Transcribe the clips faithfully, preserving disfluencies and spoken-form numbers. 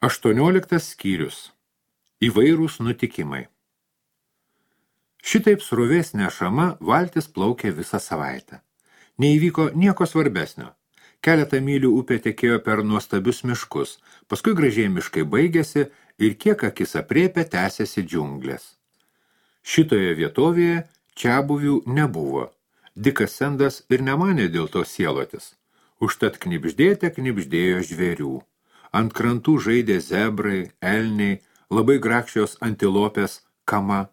Aštuonioliktas skyrius. Įvairūs nutikimai. Šitaip srovės nešama valtis plaukė visą savaitę. Neįvyko nieko svarbesnio. Keletą mylių upė tekėjo per nuostabius miškus, paskui gražiai miškai baigėsi ir kiek akis aprėpė tęsėsi džiunglės. Šitoje vietovėje čiabuvių nebuvo. Dikas Sendas ir nemanė dėl to sielotis. Užtat knibždėte knibždėjo žvėrių. Ant krantų žaidė zebrai, elniai, labai grakščios antilopės, kama.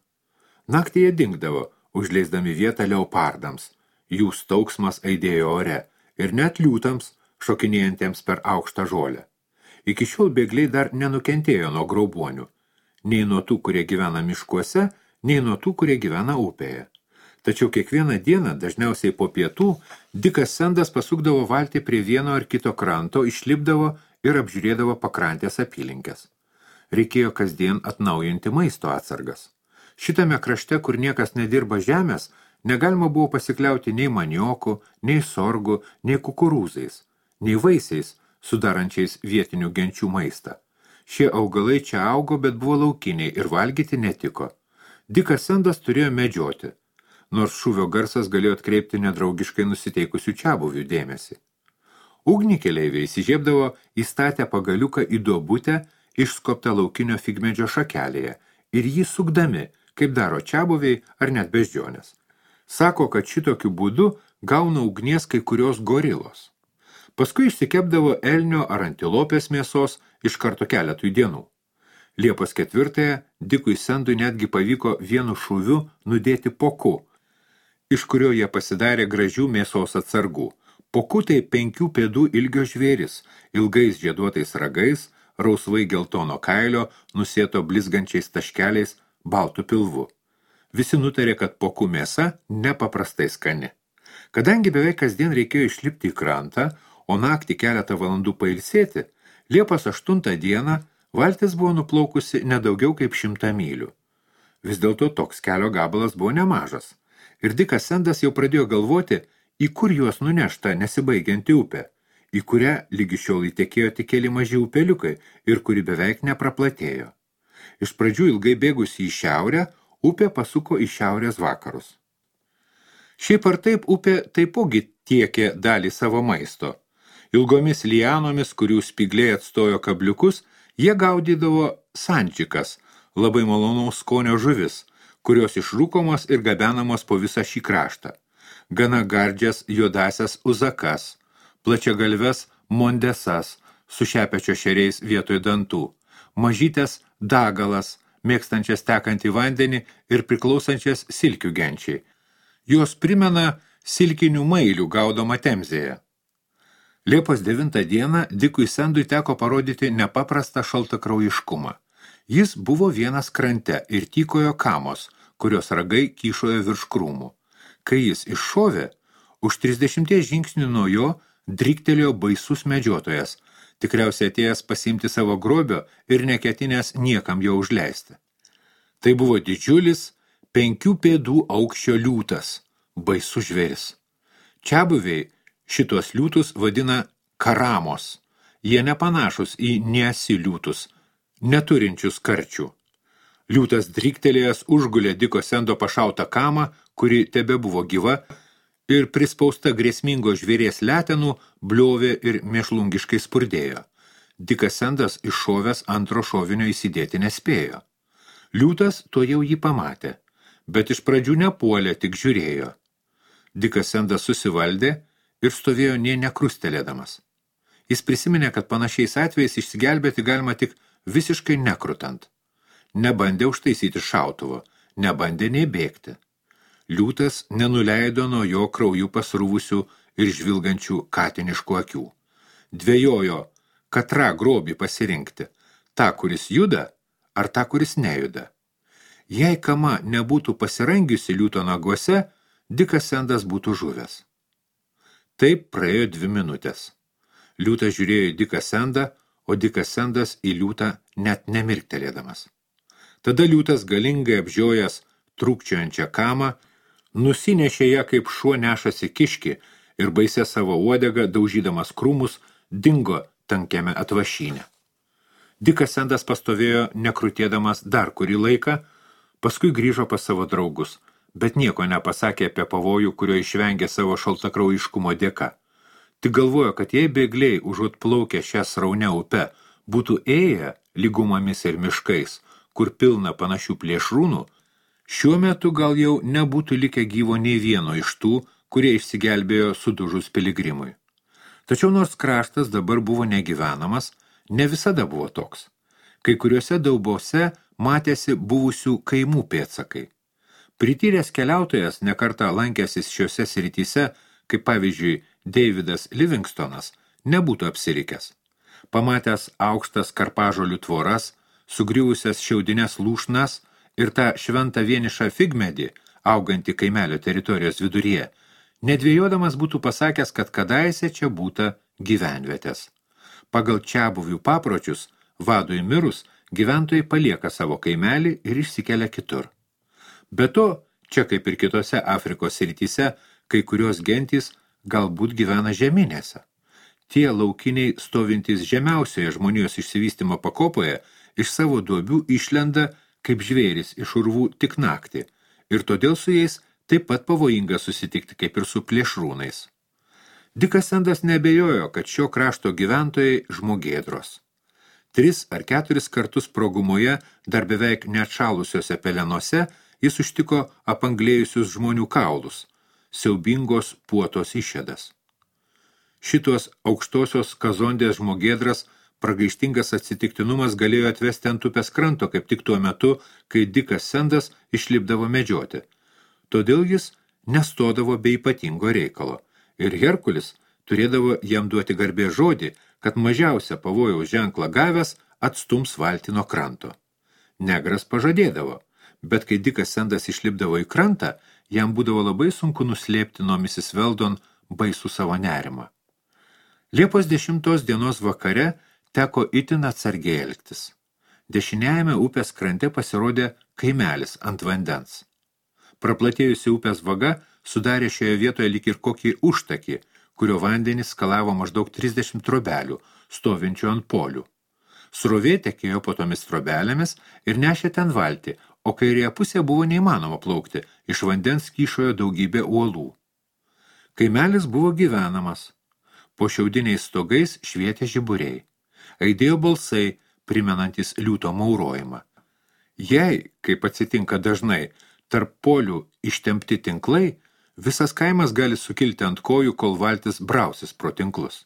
Naktį jie dingdavo, užleisdami vietą leopardams. Jų stauksmas aidėjo ore ir net liūtams, šokinėjantiems per aukštą žolę. Iki šiol bėgliai dar nenukentėjo nuo graubuonių, nei nuo tų, kurie gyvena miškuose, nei nuo tų, kurie gyvena upėje. Tačiau kiekvieną dieną, dažniausiai po pietų, Dikas Sendas pasukdavo valtį prie vieno ar kito kranto, išlipdavo ir apžiūrėdavo pakrantės apylinkės. Reikėjo kasdien atnaujinti maisto atsargas. Šitame krašte, kur niekas nedirba žemės, negalima buvo pasikliauti nei maniokų, nei sorgų, nei kukurūzais, nei vaisiais, sudarančiais vietinių genčių maistą. Šie augalai čia augo, bet buvo laukiniai ir valgyti netiko. Dikas Sendas turėjo medžioti, nors šūvio garsas galėjo atkreipti nedraugiškai nusiteikusių čiabuvių dėmesį. Ugnykeleiviai įsižiebdavo įstatę pagaliuką į duobutę išskobtą laukinio figmedžio šakelėje ir jį sukdami, kaip daro čiabuviai ar net beždžionės. Sako, kad šitokiu būdu gauna ugnies kai kurios gorilos. Paskui išsikepdavo elnio ar antilopės mėsos iš karto keletui dienų. Liepos ketvirtąją Dikui Sendui netgi pavyko vienu šūviu nudėti poku, iš kurio jie pasidarė gražių mėsos atsargų. Poku tai penkių pėdų ilgio žvėris, ilgais žieduotais ragais, rausvai geltono kailio, nusėto blizgančiais taškeliais, baltų pilvu. Visi nutarė, kad poku mėsa nepaprastai skani. Kadangi beveik kasdien reikėjo išlipti į krantą, o naktį keletą valandų pailsėti, Liepos aštuntą dieną valtis buvo nuplaukusi nedaugiau kaip šimtą mylių. Vis dėlto toks kelio gabalas buvo nemažas. Ir Dikas Sendas jau pradėjo galvoti, į kur juos nunešta nesibaigianti upė, į kurią lygi šiol įtekėjo tik keli maži upeliukai ir kuri beveik nepraplatėjo. Iš pradžių ilgai bėgusi į šiaurę, upė pasuko į šiaurės vakarus. Šiaip ar taip upė taipogi tiekė dalį savo maisto. Ilgomis lianomis, kurių spygliai atstojo kabliukus, jie gaudydavo sančikas, labai malonaus skonio žuvis, kurios išrūkomos ir gabenamos po visą šį kraštą. Gana gardžias juodasias uzakas, plačiagalves mondesas su šepečio šeriais vietoj dantų, mažytės dagalas, mėgstančias tekantį vandenį ir priklausančias silkių genčiai. Jos primena silkinių mailių gaudomą Temzėje. Liepos devintą dieną Dikui Sendui teko parodyti nepaprastą šaltakraujiškumą. Jis buvo vienas krante ir tykojo kamos, kurios ragai kyšojo virš krūmų. Kai jis iššovė, už trisdešimties žingsnių nuo jo driktelėjo baisus medžiotojas, tikriausiai atėjęs pasiimti savo grobio ir neketinęs niekam jo užleisti. Tai buvo didžiulis, penkių pėdų aukščio liūtas, baisus žvėris. Čiabuviai šitos liūtus vadina karamos. Jie nepanašus į niesi liūtus, neturinčius karčių. Liūtas driktelėjęs užgulė Diko Sendo pašautą kamą, kuri tebe buvo gyva, ir prispausta grėsmingo žvėries letenų bliovė ir mėšlungiškai spurdėjo. Dikas Sendas iššovęs antro šovinio įsidėti nespėjo. Liūtas to jau jį pamatė, bet iš pradžių nepuolė, tik žiūrėjo. Dikas Sendas susivaldė ir stovėjo nė nekrustelėdamas. Jis prisiminė, kad panašiais atvejais išsigelbėti galima tik visiškai nekrutant. Nebandė užtaisyti šautuvo, nebandė nei bėgti. Liūtas nenuleido nuo jo krauju pasrūvusių ir žvilgančių katiniškų akių. Dvejojo, katrą grobį pasirinkti, tą, kuris juda, ar tą, kuris nejuda. Jei kama nebūtų pasirangiusi liūto naguose, Dikas Sendas būtų žuvęs. Taip praėjo dvi minutės. Liūtas žiūrėjo į Diką Sendą, o Dikas Sendas į liūtą net nemirktelėdamas. Tada liūtas galingai apžiojęs trūkčiojančią kamą, nusinešė ją kaip šuo nešasi kiškį ir baisė savo uodegą, daužydamas krūmus, dingo tankiame atvašyne. Dikas Sendas pastovėjo nekrutėdamas dar kurį laiką, paskui grįžo pas savo draugus, bet nieko nepasakė apie pavojų, kurio išvengė savo šaltakraujiškumo dėka. Tik galvojo, kad jei bėgliai užuot plaukę šią sraunę upę būtų ėję lygumomis ir miškais, kur pilna panašių plėšrūnų, šiuo metu gal jau nebūtų likę gyvo nei vieno iš tų, kurie išsigelbėjo sudužus piligrimui. Tačiau nors kraštas dabar buvo negyvenamas, ne visada buvo toks. Kai kuriuose daubose matėsi buvusių kaimų pėdsakai. Prityręs keliautojas nekartą lankęsis šiuose srityse, kaip pavyzdžiui Davidas Livingstonas, nebūtų apsirikęs. Pamatęs aukštas karpažolių tvoras, sugriuvusias šiaudines lūšnas ir tą šventą vienišą figmedį, augantį kaimelio teritorijos viduryje, nedvėjodamas būtų pasakęs, kad kadaise čia būta gyvenvietės. Pagal čiabuvių papročius, vadui mirus, gyventojai palieka savo kaimelį ir išsikelia kitur. Be to, čia kaip ir kitose Afrikos srityse, kai kurios gentys galbūt gyvena žeminėse. Tie laukiniai stovintys žemiausioje žmonijos išsivystymo pakopoje iš savo duobių išlenda kaip žvėris iš urvų tik naktį ir todėl su jais taip pat pavojinga susitikti kaip ir su plėšrūnais. Dikas Sendas neabejojo, kad šio krašto gyventojai žmogėdros. Tris ar keturis kartus progumoje, dar beveik neatšalusiuose pelenose, jis užtiko apanglėjusius žmonių kaulus, siaubingos puotos išėdas. Šitos aukštosios kazondės žmogėdras pragaištingas atsitiktinumas galėjo atvesti ant upės kranto, kaip tik tuo metu, kai Dikas Sendas išlipdavo medžioti. Todėl jis nestodavo be ypatingo reikalo, ir Herkulis turėdavo jam duoti garbės žodį, kad mažiausią pavojaus ženklą gavęs atstums valtį nuo kranto. Negras pažadėdavo, bet kai Dikas Sendas išlipdavo į krantą, jam būdavo labai sunku nuslėpti nuo misis Weldon baisų savo nerimą. Liepos dešimtos dienos vakare teko itin atsargiai elgtis. Dešiniajame upės krante pasirodė kaimelis ant vandens. Praplatėjusi upės vaga sudarė šioje vietoje lyg ir kokį užtakį, kurio vandenys skalavo maždaug trisdešimt trobelių, stovinčių ant polių. Srovė tekėjo po tomis trobelėmis ir nešė ten valtį, o kairėje pusėje buvo neįmanoma plaukti, iš vandens kyšojo daugybė uolų. Kaimelis buvo gyvenamas. Po šiaudiniais stogais švietė žiburiai. Aidėjo balsai, primenantis liūto maurojimą. Jei, kaip atsitinka dažnai, tarp polių ištempti tinklai, visas kaimas gali sukilti ant kojų, kol valtis brausis pro tinklus.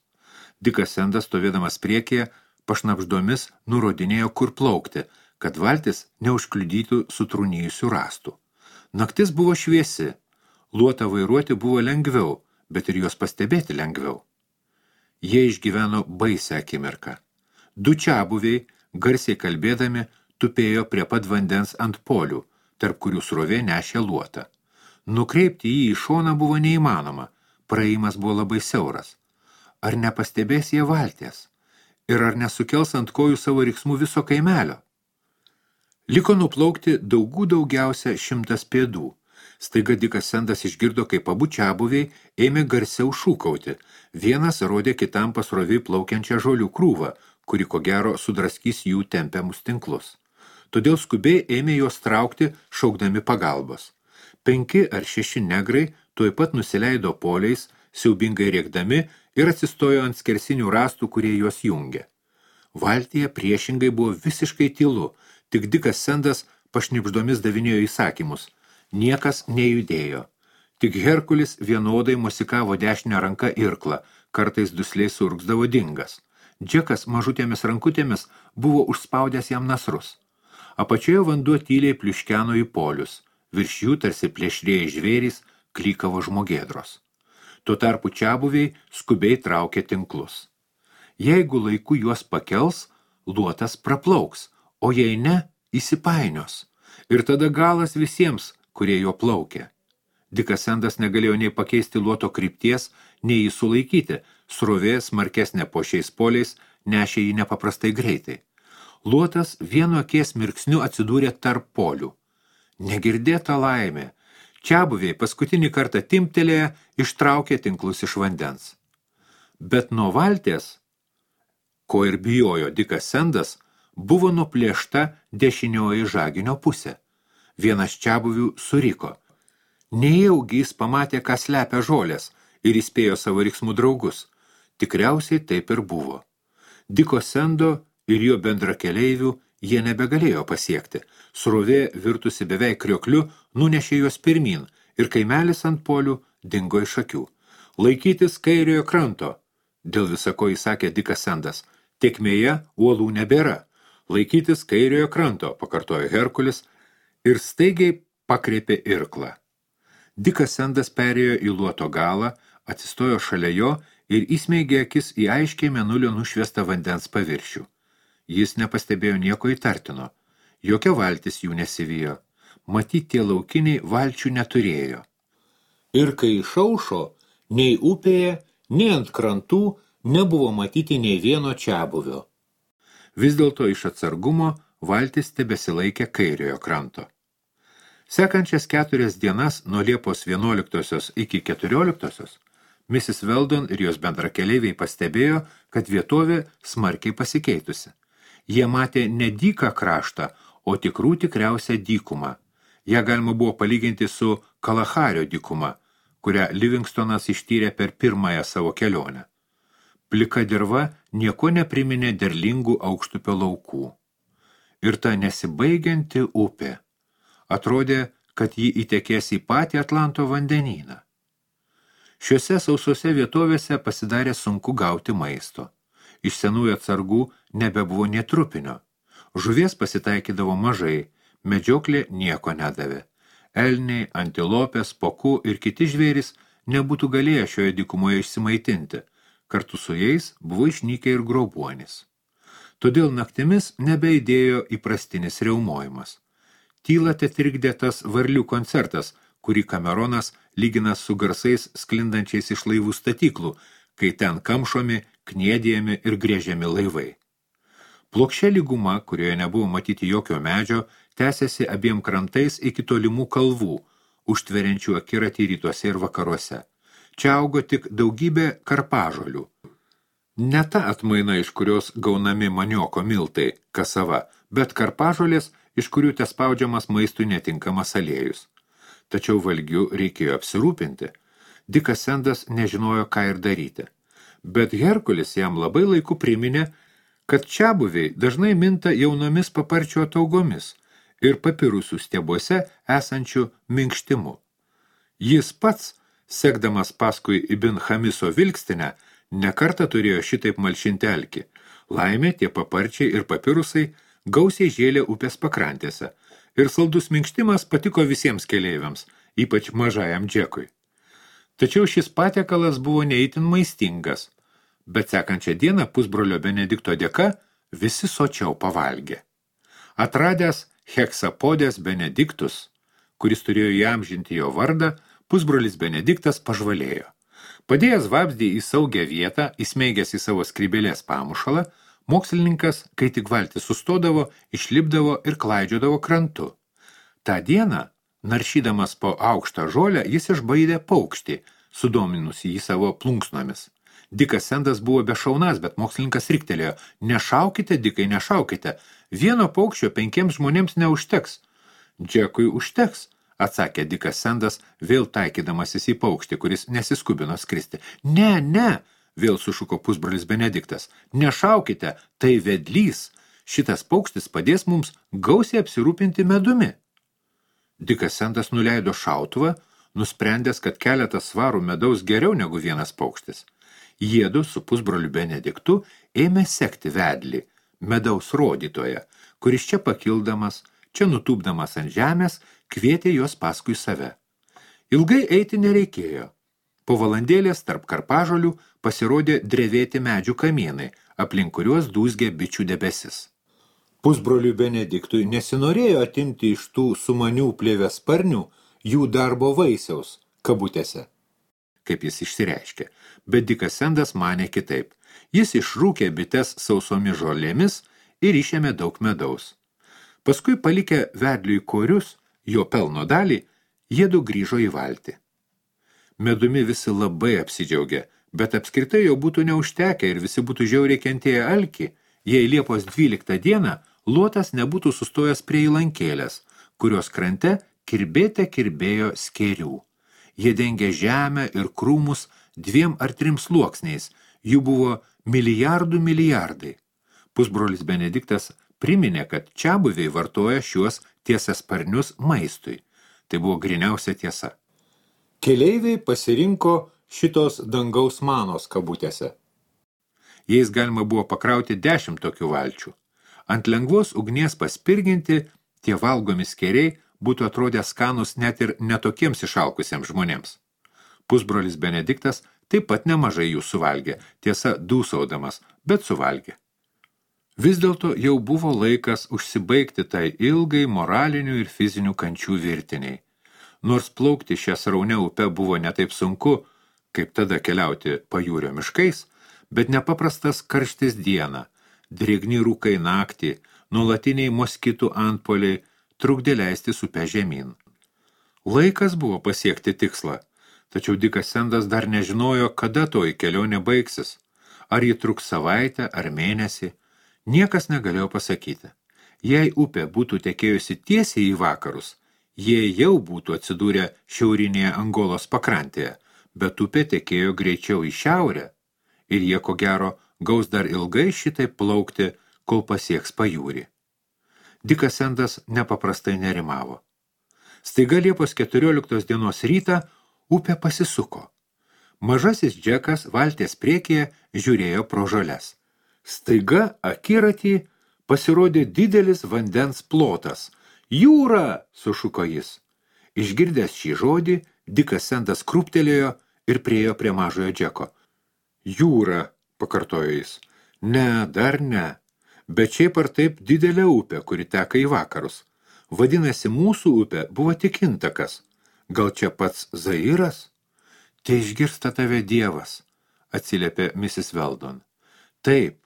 Dikas Sendas, stovėdamas priekyje, pašnapždomis nurodinėjo, kur plaukti, kad valtis neužkliudytų sutrūnijusių rąstų. Naktis buvo šviesi, luotą vairuoti buvo lengviau, bet ir juos pastebėti lengviau. Jie išgyveno baisią akimirką. Du čiabuviai, garsiai kalbėdami, tupėjo prie pat vandens ant polių, tarp kurių srovė nešė luotą. Nukreipti jį į šoną buvo neįmanoma, praėjimas buvo labai siauras. Ar nepastebės jie valties? Ir ar nesukels ant kojų savo riksmų viso kaimelio? Liko nuplaukti daugų daugiausia šimtas pėdų. Staiga Dikas Sendas išgirdo, kaip abu čiabuviai ėmė garsiau šūkauti. Vienas rodė kitam pasroviai plaukiančią žolių krūvą, kuri ko gero sudraskys jų tempiamus tinklus. Todėl skubiai ėmė juos traukti, šaukdami pagalbos. Penki ar šeši negrai tuoj pat nusileido poliais, siaubingai rėkdami ir atsistojo ant skersinių rąstų, kurie juos jungė. Valtyje priešingai buvo visiškai tylu, tik Dikas Sendas pašnibždomis davinėjo įsakymus. Niekas nejudėjo. Tik Herkulis vienodai mosikavo dešinę ranką irklą, kartais dusliai surgzdavo dingas. Džekas mažutėmis rankutėmis buvo užspaudęs jam nasrus. Apačioje vanduo tyliai pliuškeno į polius. Virš jų tarsi plėšrėjai žvėrys klykavo žmogėdros. Tuo tarpu čiabuviai skubiai traukė tinklus. Jeigu laiku juos pakels, luotas praplauks, o jei ne, įsipainios. Ir tada galas visiems, kurie jo plaukė. Dikas Sendas negalėjo nei pakeisti luoto krypties, nei jį sulaikyti, srovė smarkesnė po šiais poliais nešė jį nepaprastai greitai. Luotas vienu akies mirksniu atsidūrė tarp polių. Negirdėta laimė. Čiabuviai paskutinį kartą timptelėję ištraukė tinklus iš vandens. Bet nuo valties, ko ir bijojo Dikas Sendas, buvo nuplėšta dešinioji žaginio pusė. Vienas čiabuvių suriko. Nejaugi jis pamatė, ką slepia žolės ir įspėjo savo riksmų draugus. Tikriausiai taip ir buvo. Diko Sendo ir jo bendrakeleivių jie nebegalėjo pasiekti. Srovė, virtusi beveik kriokliu, nunešė juos pirmin ir kaimelis ant polių dingo iš akių. Laikytis kairiojo kranto, dėl visako įsakė Dikas Sendas. Tekmėje uolų nebėra. Laikytis kairiojo kranto, pakartojo Herkulis ir staigiai pakreipė irklą. Dikas Sendas perėjo į luoto galą, atsistojo šalia jo ir įsmeigė akis į aiškiai mėnulio nušviestą vandens paviršių. Jis nepastebėjo nieko įtartino. Jokia valtis jų nesivijo. Matyt, tie laukiniai valčių neturėjo. Ir kai išaušo, nei upėje, nei ant krantų nebuvo matyti nei vieno čiabuvio. Vis dėlto iš atsargumo valtis tebesilaikė kairiojo kranto. Sekančias keturias dienas nuo Liepos vienuoliktosios iki keturioliktosios misis Weldon ir jos bendrakeleiviai pastebėjo, kad vietovė smarkiai pasikeitusi. Jie matė ne dyką kraštą, o tikrų tikriausią dykumą. Ja galima buvo palyginti su Kalahario dykuma, kurią Livingstonas ištyrė per pirmąją savo kelionę. Plika dirva nieko nepriminė derlingų aukštupio laukų. Ir ta nesibaigianti upė. Atrodė, kad ji įtekės į patį Atlanto vandenyną. Šiuose sausose vietovėse pasidarė sunku gauti maisto. Iš senųjų atsargų nebebuvo nė trupinio. Žuvies pasitaikydavo mažai, medžioklė nieko nedavė. Elniai, antilopės, pokų ir kiti žvėrys nebūtų galėję šioje dykumoje išsimaitinti. Kartu su jais buvo išnykę ir grobuonis. Todėl naktimis nebeidėjo įprastinis riaumojimas. Tylą tetrikdė tas varlių koncertas, kurį Kameronas lygina su garsais sklindančiais iš laivų statyklų, kai ten kamšomi, kniedėjami ir grėžiami laivai. Plokščia lyguma, kurioje nebuvo matyti jokio medžio, tęsėsi abiem krantais iki tolimų kalvų, užtveriančių akiratį rytuose ir vakaruose. Čia augo tik daugybė karpažolių. Ne ta atmaina, iš kurios gaunami manioko miltai, kasava, bet karpažolės, iš kurių tespaudžiamas maistui netinkamas aliejus. Tačiau valgių reikėjo apsirūpinti. Dikas Sendas nežinojo, ką ir daryti. Bet Herkulis jam labai laiku priminė, kad čiabuviai dažnai minta jaunomis paparčio ataugomis ir papirusų stiebuose esančių minkštimu. Jis pats, sekdamas paskui Ibn Chamiso vilkstinę, nekartą turėjo šitaip malšinti alkį. Laimė, tie paparčiai ir papirusai gausiai žėlė upės pakrantėse ir saldus minkštimas patiko visiems keleiviams, ypač mažajam Džekui. Tačiau šis patiekalas buvo neįtin maistingas, bet sekančią dieną pusbrolio Benedikto dėka visi sočiau pavalgė. Atradęs heksapodės Benediktus, kuris turėjo įamžinti jo vardą, pusbrolis Benediktas pažvalėjo. Padėjęs vabzdį į saugią vietą, įsmeigęs į savo skrybėlės pamušalą, mokslininkas, kai tik valtis sustodavo, išlipdavo ir klaidžiodavo krantu. Ta dieną, naršydamas po aukštą žolę, jis išbaidė paukštį, sudominusi jį savo plunksnomis. Dikas Sendas buvo bešaunas, bet mokslininkas riktelėjo: nešaukite, Dikai, nešaukite, vieno paukščio penkiems žmonėms neužteks. Džekui užteks, atsakė Dikas Sendas, vėl taikydamasis į paukštį, kuris nesiskubino skristi. Ne, ne, vėl sušuko pusbrolis Benediktas. Nešaukite, tai vedlys. Šitas paukštis padės mums gausiai apsirūpinti medumi. Dikas Sendas nuleido šautuvą, nusprendęs, kad keletas svarų medaus geriau negu vienas paukštis. Jiedu su pusbroliu Benediktu ėmė sekti vedlį, medaus rodytoją, kuris čia pakildamas, čia nutūpdamas ant žemės, kvietė juos paskui save. Ilgai eiti nereikėjo. Po valandėlės tarp karpažolių pasirodė drevėti medžių kamienai, aplink kuriuos dūzgė bičių debesis. Pusbroliui Benediktui nesinorėjo atimti iš tų sumanių plėvėsparnių jų darbo vaisiaus, kabutėse, kaip jis išsireiškė, bet Dikas Sendas manė kitaip. Jis išrūkė bites sausomis žolėmis ir išėmė daug medaus. Paskui palikę vedliui korius, jo pelno dalį, jiedu grįžo į valtį. Medumi visi labai apsidžiaugė, bet apskritai jau būtų neužtekę ir visi būtų žiauriai kentėję alkį, jei Liepos dvyliktą dieną luotas nebūtų sustojęs prie įlankėlės, kurios krante kirbėte kirbėjo skėrių. Jie dengė žemę ir krūmus dviem ar trim sluoksniais, jų buvo milijardų milijardai. Pusbrolis Benediktas priminė, kad čiabuviai vartoja šiuos tiesiasparnius maistui. Tai buvo gryniausia tiesa. Keleiviai pasirinko šitos dangaus manos kabutėse. Jais galima buvo pakrauti dešimt tokių valčių. Ant lengvos ugnies paspirginti, tie valgomi skėriai būtų atrodę skanus net ir netokiems išalkusiems žmonėms. Pusbrolis Benediktas taip pat nemažai jų suvalgė, tiesa dūsaudamas, bet suvalgė. Vis dėlto jau buvo laikas užsibaigti tai ilgai moralinių ir fizinių kančių virtiniai. Nors plaukti šią sraunę upę buvo netaip sunku, kaip tada keliauti pajūrio miškais, bet nepaprastas karštis dieną, drėgni rūkai naktį, nuolatiniai moskitų antpoliai trukdė leistis upę žemyn. Laikas buvo pasiekti tikslą, tačiau Dikas Sendas dar nežinojo, kada toji kelionė baigsis, ar ji truks savaitę ar mėnesį, niekas negalėjo pasakyti. Jei upė būtų tekėjusi tiesiai į vakarus, jie jau būtų atsidūrę šiaurinėje Angolos pakrantėje, bet upė tekėjo greičiau į šiaurę ir jie ko gero gaus dar ilgai šitai plaukti, kol pasieks pajūrį. Dikas Sendas nepaprastai nerimavo. Staiga Liepos keturioliktos dienos rytą upė pasisuko. Mažasis Džekas valties priekyje žiūrėjo pro žoles. Staiga akiratį pasirodė didelis vandens plotas. Jūra, sušuko jis. Išgirdęs šį žodį, Dikas Sendas krūptelėjo ir priėjo prie mažojo Džeko. Jūra, pakartojo jis. Ne, dar ne. Bet šiaip ar taip didelė upė, kuri teka į vakarus. Vadinasi, mūsų upė buvo tik intakas. Gal čia pats Zairas? Te išgirsta tave Dievas, atsiliepė misis Weldon. Taip,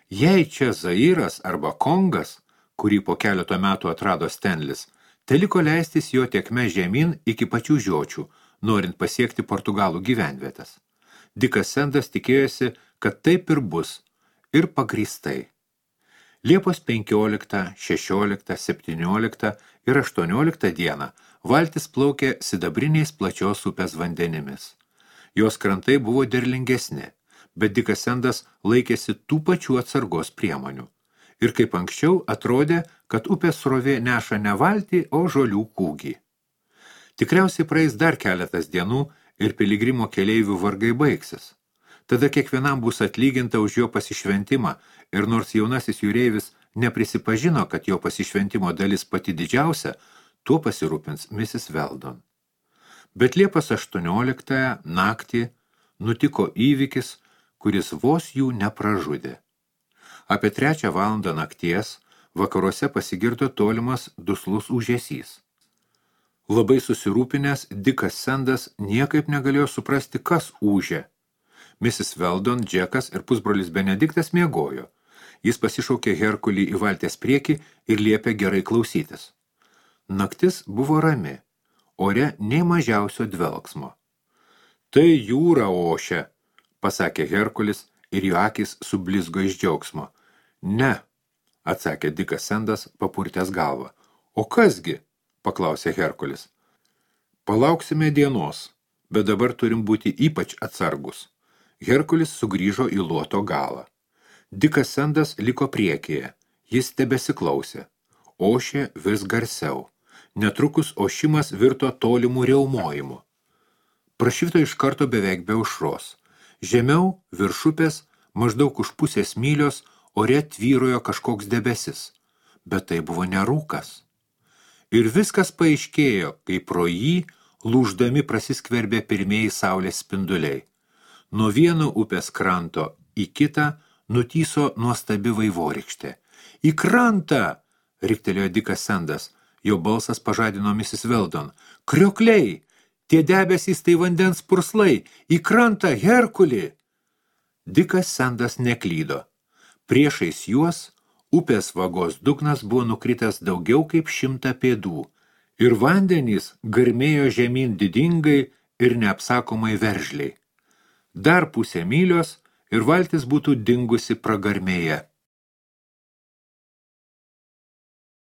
jei čia Zairas arba Kongas, kurį po keleto metų atrado Stenlis, teliko leistis jo tekme žemyn iki pačių žiočių, norint pasiekti Portugalų gyvenvietas. Dikas Sendas tikėjosi, kad taip ir bus, ir pagrįstai. Liepos penkioliktą, šešioliktą, septynioliktą ir aštuonioliktą dieną valtis plaukė sidabriniais plačios upės vandenimis. Jos krantai buvo derlingesni, bet Dikas Sendas laikėsi tų pačių atsargos priemonių. Ir kaip anksčiau atrodė, kad upės srovė neša ne valtį, o žolių kūgį. Tikriausiai praeis dar keletas dienų ir piligrimo keleivių vargai baigsis. Tada kiekvienam bus atlyginta už jo pasišventimą ir nors jaunasis jūreivis neprisipažino, kad jo pasišventimo dalis pati didžiausia, tuo pasirūpins misis Weldon. Bet Liepos aštuonioliktąją naktį nutiko įvykis, kuris vos jų nepražudė. Apie trečią valandą nakties vakaruose pasigirdo tolimas duslus ūžesys. Labai susirūpinęs, Dikas Sendas niekaip negalėjo suprasti, kas ūžė. misis Weldon, Džekas ir pusbrolis Benediktas miegojo. Jis pasišaukė Herkulį į valties priekį ir liepė gerai klausytis. Naktis buvo rami, ore nei mažiausio dvelksmo. Tai jūra ošia, pasakė Herkulis ir jo akis sublizgo iš džiaugsmo. Ne, atsakė Dikas Sendas, papurtęs galvą. O kasgi? Paklausė Herkulis. Palauksime dienos, bet dabar turim būti ypač atsargus. Herkulis sugrįžo į luoto galą. Dikas Sendas liko priekyje, jis tebesiklausė. Ošė vis garsiau. Netrukus ošimas virto tolimų riaumojimu. Prašvito iš karto beveik be aušros. Žemiau, virš upės, maždaug už pusės mylios, ore tvyrojo kažkoks debesis. Bet tai buvo ne rūkas. Ir viskas paaiškėjo, kai pro jį lūždami prasiskverbė pirmieji saulės spinduliai. Nuo vieno upės kranto į kitą nutyso nuostabi vaivorykštė. Į krantą, riktelėjo Dikas Sendas. Jo balsas pažadino misis Weldon. Kriokliai, tie debesys tai vandens purslai, į krantą, Herkulį. Dikas Sendas neklydo. Priešais juos upės vagos dugnas buvo nukritęs daugiau kaip šimtą pėdų ir vandenys garmėjo žemyn didingai ir neapsakomai veržliai. Dar pusę mylios ir valtis būtų dingusi pragarmėje.